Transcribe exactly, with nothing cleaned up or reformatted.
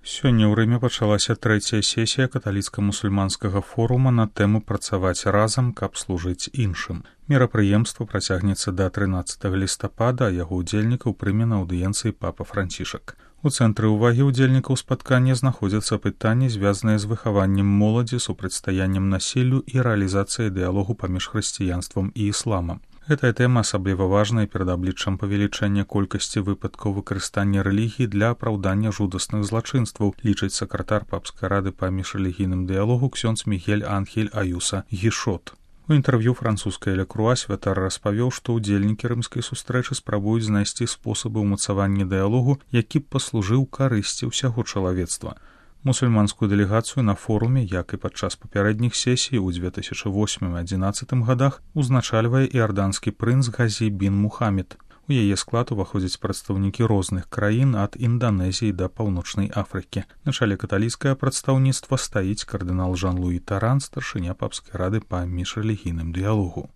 Сёння ў Рыме пачалася трэцяя сесія каталіцка-мусульманскага форума на тэму «Працаваць разам, каб служыць іншым». Мерапрыемства працягнецца да трынаццатага лістапада, а яго ўдзельнікаў прыме на аўдыенцыі папа Францішак. У цэнтры ўвагі ўдзельнікаў спаткання знаходзяцца пытанні, звязаныя з выхаваннем моладзі, супрацьстаяннем насіллю і рэалізацыяй дыялогу паміж хрысціянствам і ісламам. Гэтая тэма асабліва важная перад абліччам павелічэння колькасці выпадкаў выкарыстання рэлігіі для апраўдання жудасных злачынстваў, лічыць сакратар папскай рады па міжрэлігійным дыялогу ксёндз Мігель Анхель Аюса Гішот. У інтэрв'ю французскай Ле Круа святар распавёў, што ўдзельнікі рымскай сустрэчы спрабуюць знайсці спосабы ўмацавання дыялогу, які б паслужыў карысці ўсяго чалавецтва. Мусульманскую дэлегацыю на форуме, як і падчас папярэдніх сесій у дзве тысячы восьмым і адзінаццатым гадах, узначальвае іарданскі прынц Газі бін Мухамед. У яе склад уваходзяць прадстаўнікі розных краін ад Інданезіі да Паўночнай Афрыкі. На чале каталіцкае прадстаўніцтва стаіць кардынал Жан-Луі Таран, старшыня папскай рады па міжрэлігійным дыялогу.